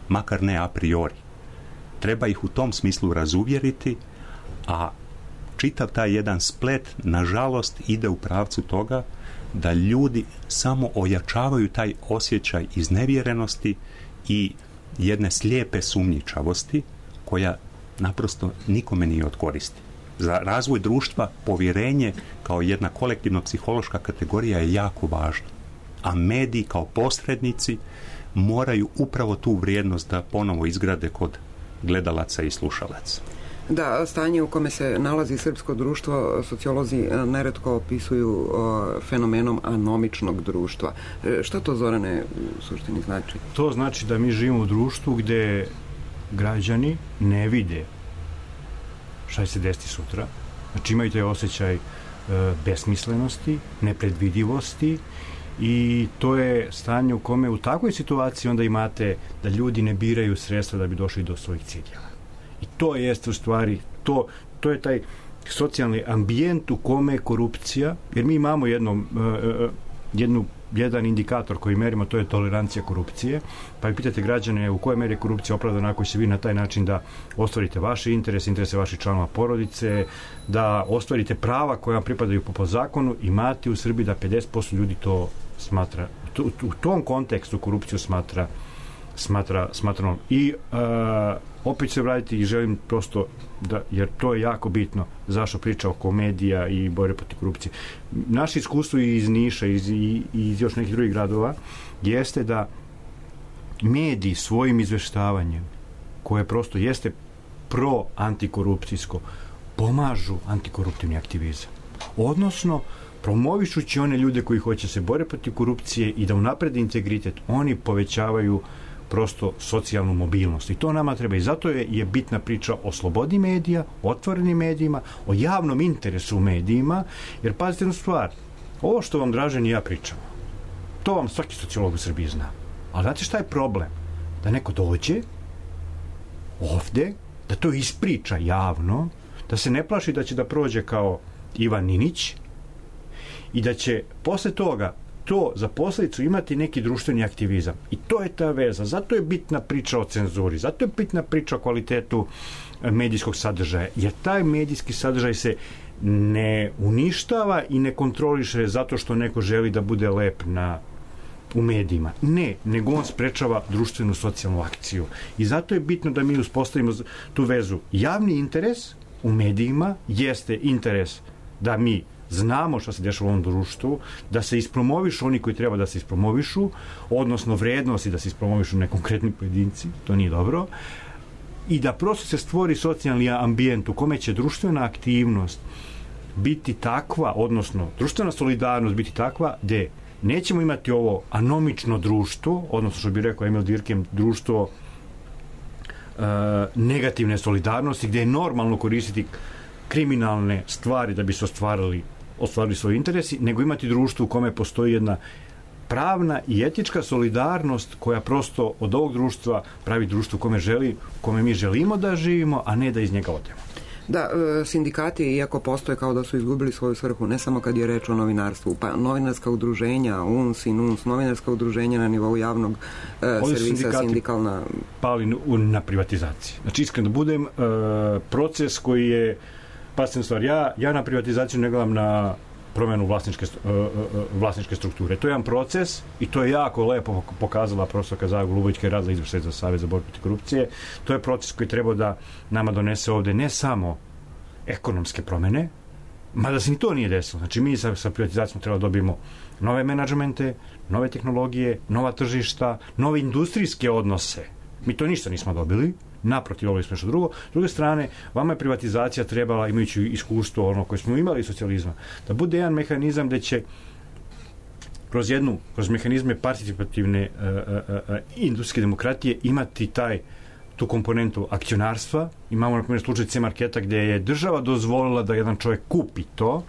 Makar ne a priori. Treba ih u tom smislu razuvjeriti, a čitav taj jedan splet, nažalost, ide u pravcu toga da ljudi samo ojačavaju taj osjećaj iznevjerenosti i jedne slijepe sumnjičavosti koja naprosto nikome nije od koristi. Za razvoj društva povjerenje kao jedna kolektivno psihološka kategorija je jako važna. A mediji kao posrednici moraju upravo tu vrijednost da ponovo izgrade kod gledalaca i slušalaca. Da, stanje u kome se nalazi srpsko društvo sociolozi neretko opisuju fenomenom anomičnog društva. Šta to, Zorane, u suštini znači? To znači da mi živimo u društvu gde građani ne vide šta će se desiti sutra. Znači imaju taj osjećaj besmislenosti, nepredvidivosti i to je stanje u kome u takvoj situaciji onda imate da ljudi ne biraju sredstva da bi došli do svojih ciljeva. I to jeste u stvari, to je taj socijalni ambijent u kome je korupcija, jer mi imamo jedan indikator koji merimo, to je tolerancija korupcije, pa pitate građane u kojoj meri je korupcija opravdana ako će vi na taj način da ostvarite vaše interese vaših članova porodice, da ostvarite prava koja vam pripadaju po zakonu, imate u Srbiji da 50% ljudi to smatra, u tom kontekstu korupciju smatra i opet se vratiti i želim prosto da, jer to je jako bitno zašto priča oko medija i borbe protiv korupcije. Naše iskustvo iz Niša i iz još nekih drugih gradova jeste da mediji svojim izveštavanjem, koje prosto jeste pro-antikorupcijsko, pomažu antikoruptivni aktivizam. Odnosno, promovišući one ljude koji hoće se bore protiv korupcije i da unaprede integritet, oni povećavaju prosto socijalnu mobilnost. I to nama treba. I zato je bitna priča o slobodi medija, otvorenim medijima, o javnom interesu u medijima, jer pazite jednu stvar, ovo što vam Dražen i ja pričamo, to vam svaki sociolog u Srbiji zna. Ali znate šta je problem? Da neko dođe ovde, da to ispriča javno, da se ne plaši da će da prođe kao Ivan Ninić i da će posle toga to za posledicu imati neki društveni aktivizam. I to je ta veza. Zato je bitna priča o cenzuri, zato je bitna priča o kvalitetu medijskog sadržaja, jer taj medijski sadržaj se ne uništava i ne kontroliše zato što neko želi da bude lep u medijima. Ne, nego on sprečava društvenu socijalnu akciju. I zato je bitno da mi uspostavimo tu vezu. Javni interes u medijima jeste interes da mi znamo šta se dešava u ovom društvu, da se ispromovišu oni koji treba da se ispromovišu, odnosno vrednosti da se ispromovišu ne konkretni pojedinci, to nije dobro, i da prosto se stvori socijalni ambijent u kome će društvena aktivnost biti takva, odnosno društvena solidarnost biti takva gde nećemo imati ovo anomično društvo, odnosno što bi rekao Emil Durkheim, društvo negativne solidarnosti, gde je normalno koristiti kriminalne stvari da bi se ostvarili svoji interesi, nego imati društvo u kome postoji jedna pravna i etička solidarnost koja prosto od ovog društva pravi društvo u kome mi želimo da živimo, a ne da iz njega odemo. Da, sindikati, iako postoje, kao da su izgubili svoju svrhu, ne samo kad je reč o novinarstvu, pa novinarska udruženja, UNS i NUNS, novinarska udruženja na nivou javnog servisa, sindikalna... pali na privatizaciji. Znači, iskreno da budem, proces koji je pasivna stvar. Ja na privatizaciju ne gledam na promenu vlasničke strukture. To je jedan proces i to je jako lepo pokazala profesorka Zaja Golubović koja je radila izvršitelj za Savez za borbu protiv korupcije. To je proces koji treba da nama donese ovde ne samo ekonomske promene, mada se ni to nije desilo. Znači mi sa privatizacijom treba da dobijemo nove menadžmente, nove tehnologije, nova tržišta, nove industrijske odnose. Mi to ništa nismo dobili. Naprotiv, ovo je nešto drugo. S druge strane, vama je privatizacija trebala, imajući iskustvo ono koje smo imali iz socijalizma, da bude jedan mehanizam gde će kroz mehanizme participativne industrijske demokratije imati tu komponentu akcionarstva. Imamo na primjer slučaj C-marketa gde je država dozvolila da jedan čovjek kupi to,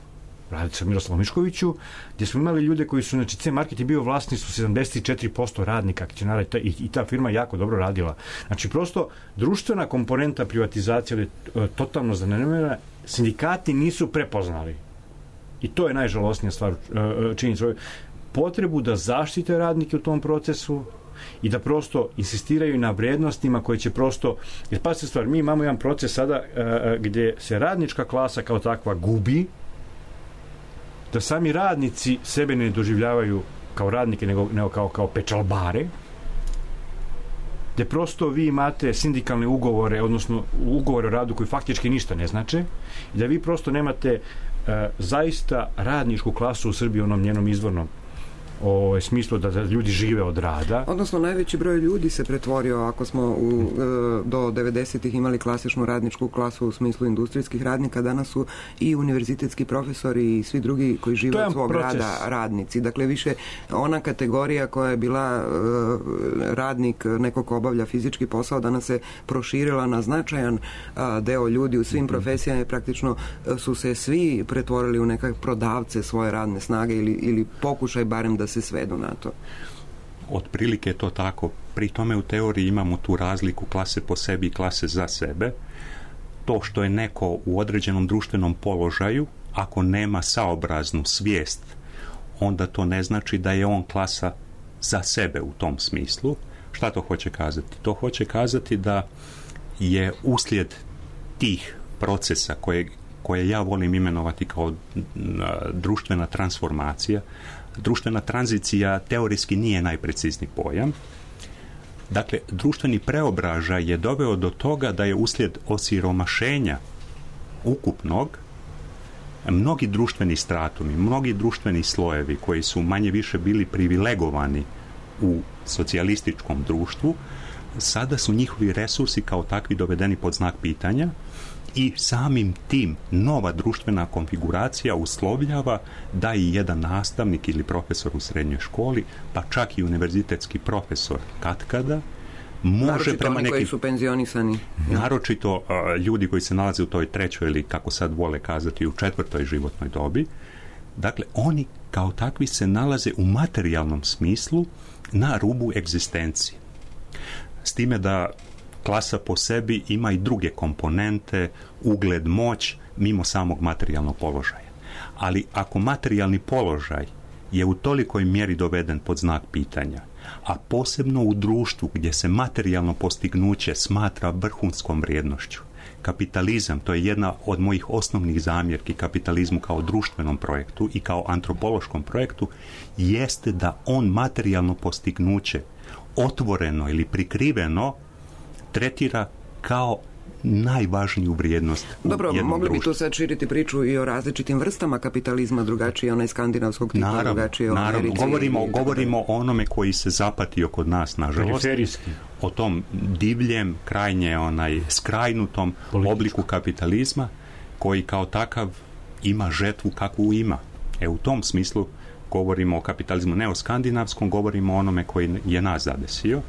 radi se o Miroslavu Miškoviću, gdje smo imali ljude koji su, znači C-market je bio vlasništvo 74% radnika, akcionara i ta firma jako dobro radila. Znači prosto društvena komponenta privatizacije je totalno zanemarena, sindikati nisu prepoznali. I to je najžalosnija stvar, činjenica. Potrebu da zaštite radnike u tom procesu i da prosto insistiraju na vrednostima koje će prosto, jer pa se stvar, mi imamo jedan proces sada gdje se radnička klasa kao takva gubi, da sami radnici sebe ne doživljavaju kao radnike, nego kao pečalbare, gde prosto vi imate sindikalne ugovore, odnosno ugovore o radu koji faktički ništa ne znače, i da vi prosto nemate zaista radničku klasu u Srbiji u onom njenom izvornom smislu da ljudi žive od rada. Odnosno, najveći broj ljudi se pretvorio, ako smo do 90-ih imali klasičnu radničku klasu u smislu industrijskih radnika, danas su i univerzitetski profesori i svi drugi koji žive od svog rada radnici. Dakle, više ona kategorija koja je bila radnik, neko ko obavlja fizički posao, danas se proširila na značajan deo ljudi u svim profesijama i praktično su se svi pretvorili u neke prodavce svoje radne snage ili pokušaj barem da se svedu na to. Otprilike je to tako. Pri tome u teoriji imamo tu razliku klase po sebi i klase za sebe. To što je neko u određenom društvenom položaju, ako nema saobraznu svijest, onda to ne znači da je on klasa za sebe u tom smislu. Šta to hoće kazati? To hoće kazati da je uslijed tih procesa koje ja volim imenovati kao društvena transformacija. Društvena tranzicija teorijski nije najprecizniji pojam, Dakle, društveni preobražaj je doveo do toga da je uslijed osiromašenja ukupnog mnogi društveni stratumi, mnogi društveni slojevi koji su manje više bili privilegovani u socijalističkom društvu, sada su njihovi resursi kao takvi dovedeni pod znak pitanja i samim tim nova društvena konfiguracija uslovljava da i jedan nastavnik ili profesor u srednjoj školi, pa čak i univerzitetski profesor katkada, može naročito prema oni nekim... koji su penzionisani. Naročito ljudi koji se nalaze u toj trećoj ili, kako sad vole kazati, u četvrtoj životnoj dobi. Dakle, oni kao takvi se nalaze u materijalnom smislu na rubu egzistencije. S time da klasa po sebi ima i druge komponente, ugled, moć, mimo samog materijalnog položaja. Ali ako materijalni položaj je u tolikoj mjeri doveden pod znak pitanja, a posebno u društvu gdje se materijalno postignuće smatra vrhunskom vrijednošću, kapitalizam, to je jedna od mojih osnovnih zamjerki kapitalizmu kao društvenom projektu i kao antropološkom projektu, jeste da on materijalno postignuće otvoreno ili prikriveno tretira kao najvažniju vrijednost. Dobro, mogli bi tu sad širiti priču i o različitim vrstama kapitalizma, drugačije onaj skandinavskog tipa, drugačije o Americi. Govorimo o onome koji se zapatio kod nas, nažalost. O tom divljem, krajnje skrajnutom obliku kapitalizma koji kao takav ima žetvu kakvu ima. U tom smislu govorimo o kapitalizmu, ne o skandinavskom, govorimo o onome koji je nas zadesio.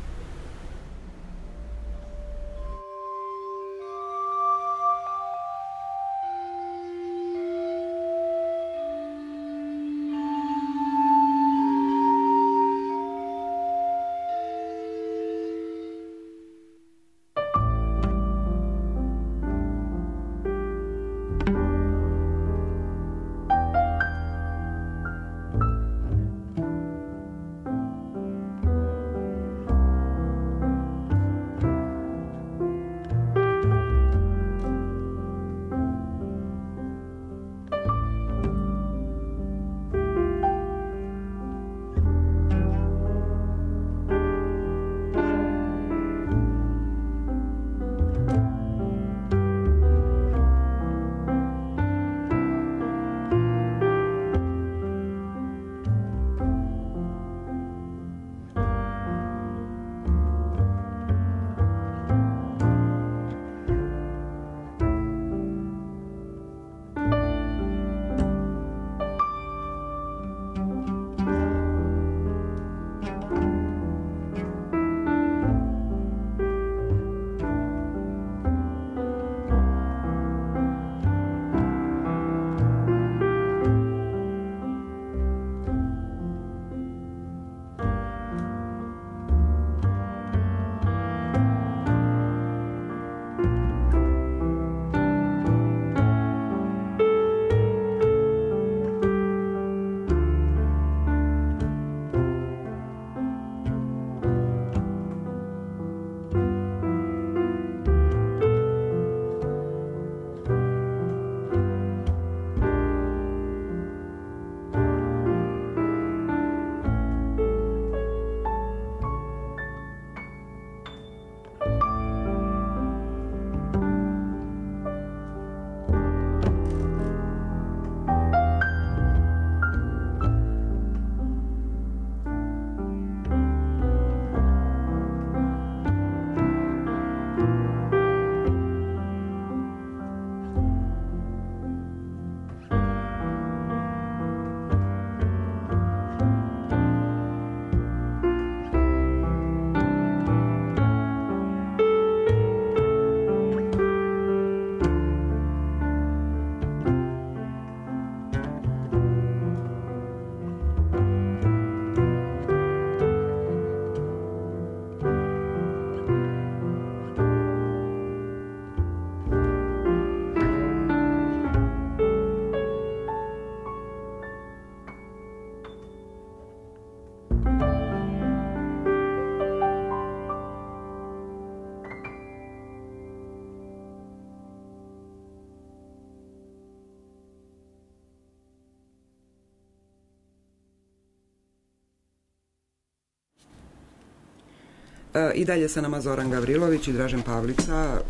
I dalje sa nama Zoran Gavrilović i Dražen Pavlica,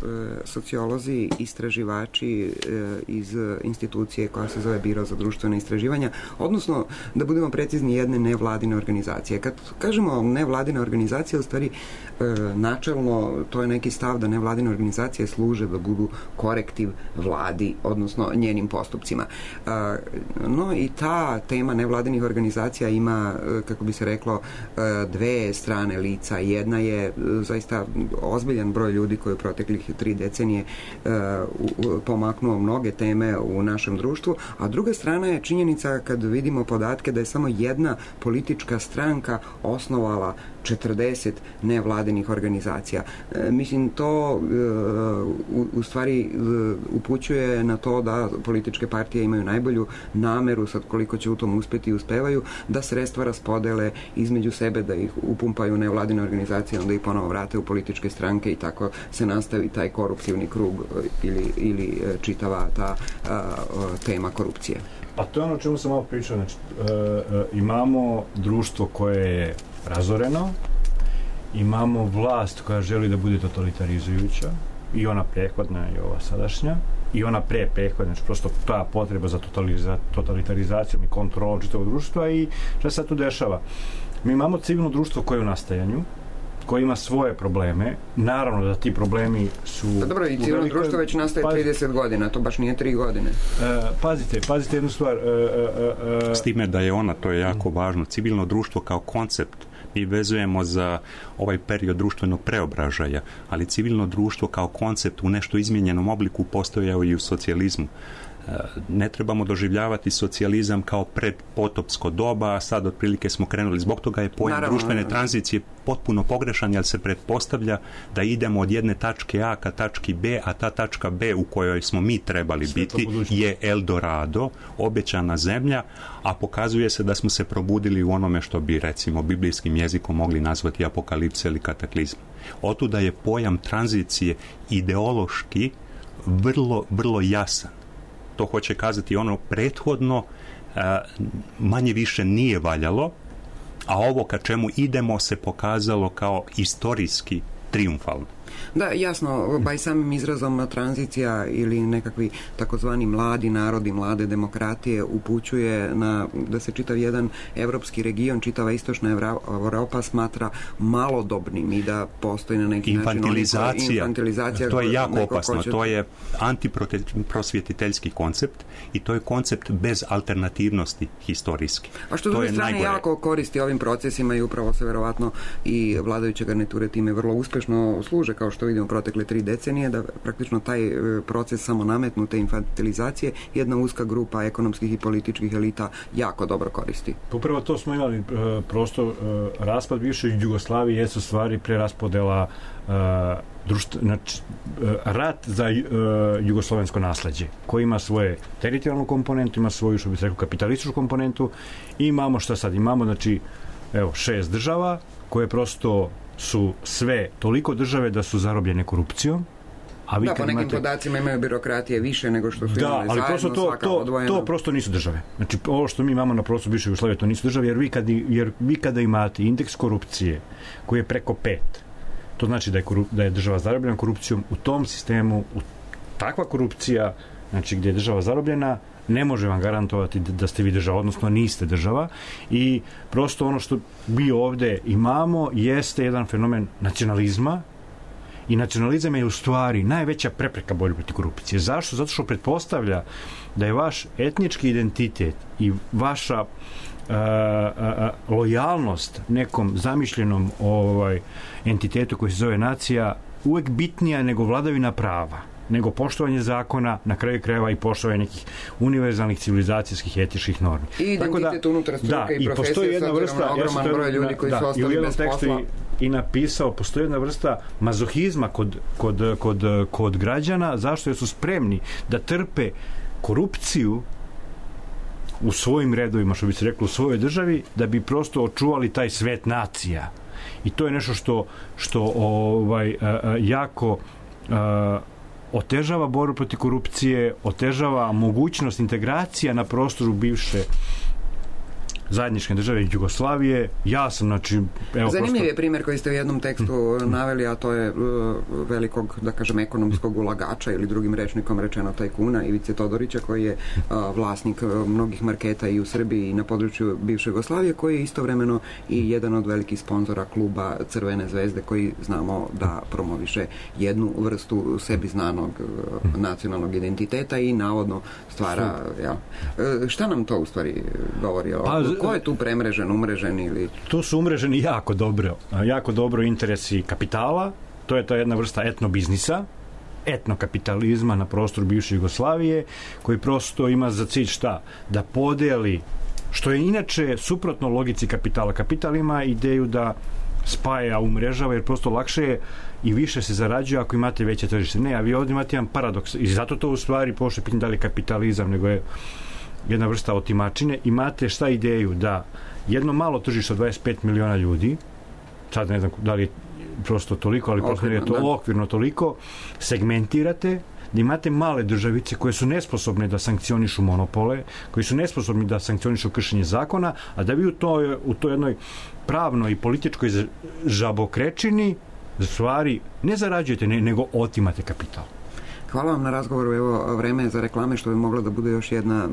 sociolozi, istraživači iz institucije koja se zove Biro za društvena istraživanja, odnosno, da budemo precizni, jedne nevladine organizacije. Kad kažemo nevladine organizacije, u stvari načelno to je neki stav da nevladine organizacije služe da budu korektiv vladi, odnosno njenim postupcima. No i ta tema nevladinih organizacija ima, kako bi se reklo, dve strane lica. Jedna je zaista ozbiljan broj ljudi koji u proteklih 3 decenije pomaknuo mnoge teme u našem društvu, a druga strana je činjenica kad vidimo podatke da je samo jedna politička stranka osnovala 40 nevladinih organizacija. Mislim, to u stvari upućuje na to da političke partije imaju najbolju nameru, sad koliko će u tom uspjeti i uspevaju, da sredstva raspodele između sebe, da ih upumpaju nevladine organizacije, onda ih ponovo vrate u političke stranke i tako se nastavi taj koruptivni krug ili čitava ta tema korupcije. A to je ono o čemu sam malo pričao. Znači, imamo društvo koje je razoreno, imamo vlast koja želi da bude totalitarizujuća, i ona prethodna i ova sadašnja, i ona prethodna, znači prosto ta potreba za totalitarizacijom i kontrolom čitavog društva. I šta se sad tu dešava? Mi imamo civilno društvo koje je u nastajanju, koje ima svoje probleme. Naravno da ti problemi su... Pa dobro, i civilno društvo već nastaje 30 godina, to baš nije 3 godine. Pazite jednu stvar. S time da je ona, to je jako važno, civilno društvo kao koncept mi vezujemo za ovaj period društvenog preobražaja, ali civilno društvo kao koncept u nešto izmijenjenom obliku postojao i u socijalizmu. Ne trebamo doživljavati socijalizam kao predpotopsko doba, a sad otprilike smo krenuli. Zbog toga je pojam društvene tranzicije potpuno pogrešan, jer se pretpostavlja da idemo od jedne tačke A ka tački B, a ta tačka B u kojoj smo mi trebali biti je Eldorado, obećana zemlja, a pokazuje se da smo se probudili u onome što bi, recimo, biblijskim jezikom mogli nazvati apokalipse ili kataklizam. Otuda je pojam tranzicije ideološki vrlo jasan. To hoće kazati ono prethodno manje više nije valjalo, a ovo ka čemu idemo se pokazalo kao istorijski triumfalno. Da, jasno, pa i samim izrazom tranzicija ili nekakvi takozvani mladi narodi, mlade demokratije upućuje na da se čitav jedan evropski region, čitava istočna Evropa smatra malodobnim i da postoji na neki infantilizacija. To je jako opasno, to je antiprosvjetiteljski koncept i to je koncept bez alternativnosti historijski. A što s druge strane jako koristi ovim procesima i upravo se verovatno i vladajuće garniture time vrlo uspešno služe, kao što vidimo protekle 3 decenije, da praktično taj proces samo nametnute infantilizacije jedna uska grupa ekonomskih i političkih elita jako dobro koristi. Upravo to smo imali prosto raspad bivše Jugoslavije jesu stvari preraspodela rat za jugoslovensko nasleđe, koji ima svoje teritorijalnu komponentu, ima svoju, što bi se rekao, kapitalističku komponentu. I imamo šta sad? Imamo, znači, 6 država koje prosto su sve toliko države da su zarobljene korupcijom. A vi po nekim podacima imaju birokratije više nego što su imali zajedno, svaka odvojena. To prosto nisu države. Znači, ovo što mi imamo na prostoru bivše Jugoslavije, to nisu države, jer vi kada imate indeks korupcije koji je preko 5, to znači da je država zarobljena korupcijom. U tom sistemu, takva korupcija, znači gdje je država zarobljena, ne može vam garantovati da ste vi država, odnosno niste država. I prosto ono što mi ovdje imamo jeste jedan fenomen nacionalizma, i nacionalizam je u stvari najveća prepreka borbe protiv korupcije. Zašto? Zato što pretpostavlja da je vaš etnički identitet i vaša lojalnost nekom zamišljenom entitetu koji se zove nacija uvek bitnija nego vladavina prava, nego poštovanje zakona, na kraju krajeva i poštovanje nekih univerzalnih civilizacijskih etičkih normi. I identitet unutar struke i profesije s obzirom na ogroman broj ljudi koji su ostali bez posla. I napisao, postoji jedna vrsta mazohizma kod građana, zašto jer su spremni da trpe korupciju u svojim redovima, što bi se reklo, u svojoj državi, da bi prosto očuvali taj svet nacija. I to je nešto što jako otežava borbu protiv korupcije, otežava mogućnost integracija na prostoru bivše zajedničke države Jugoslavije. Ja sam, znači... Zanimljiv je primjer koji ste u jednom tekstu naveli, a to je velikog, da kažem, ekonomskog ulagača ili drugim rečnikom rečeno tajkuna Ivice Todorića, koji je vlasnik mnogih marketa i u Srbiji i na području bivše Jugoslavije, koji je istovremeno i jedan od velikih sponzora kluba Crvene zvezde, koji znamo da promoviše jednu vrstu sebi znanog nacionalnog identiteta i navodno stvara... Šta nam to u stvari govori? Ko je tu premrežen, umrežen ili... Tu su umreženi jako dobro interesi kapitala, to je ta jedna vrsta etnobiznisa, etnokapitalizma na prostoru bivše Jugoslavije, koji prosto ima za cilj šta? Da podeli, što je inače suprotno logici kapitala. Kapital ima ideju da spaja, umrežava, jer prosto lakše je i više se zarađuje ako imate veće tržište. Ne, a vi ovdje imate jedan paradoks i zato to u stvari pošto pitanje da li je kapitalizam, nego je jedna vrsta otimačine. Imate šta ideju da jedno malo tržište od 25 miliona ljudi, sad ne znam da li je prosto toliko, ali prosto je to okvirno toliko, segmentirate, da imate male državice koje su nesposobne da sankcionišu monopole, koji su nesposobni da sankcionišu kršenje zakona, a da vi u toj jednoj pravnoj i političkoj žabokrečini stvari ne zarađujete, nego otimate kapital. Hvala vam na razgovoru. Evo, vreme je za reklame, što bi mogla da bude još jedna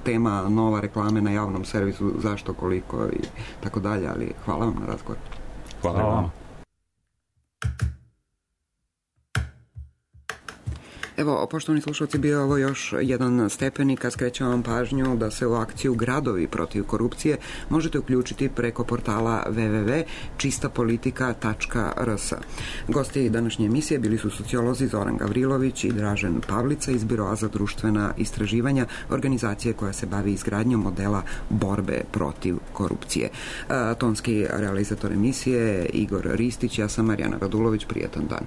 tema, nova reklame na javnom servisu, zašto, koliko i tako dalje, ali hvala vam na razgovoru. Hvala vam. Evo, poštovani slušalci, bio je ovo još jedan stepenik, a skrećem vam pažnju da se u akciju Gradovi protiv korupcije možete uključiti preko portala www.čistapolitika.rs. Gosti današnje emisije bili su sociolozi Zoran Gavrilović i Dražen Pavlica iz Biroa za društvena istraživanja, organizacije koja se bavi izgradnjom modela borbe protiv korupcije. Tonski realizator emisije Igor Ristić, ja sam Marijana Radulović, prijatan dan.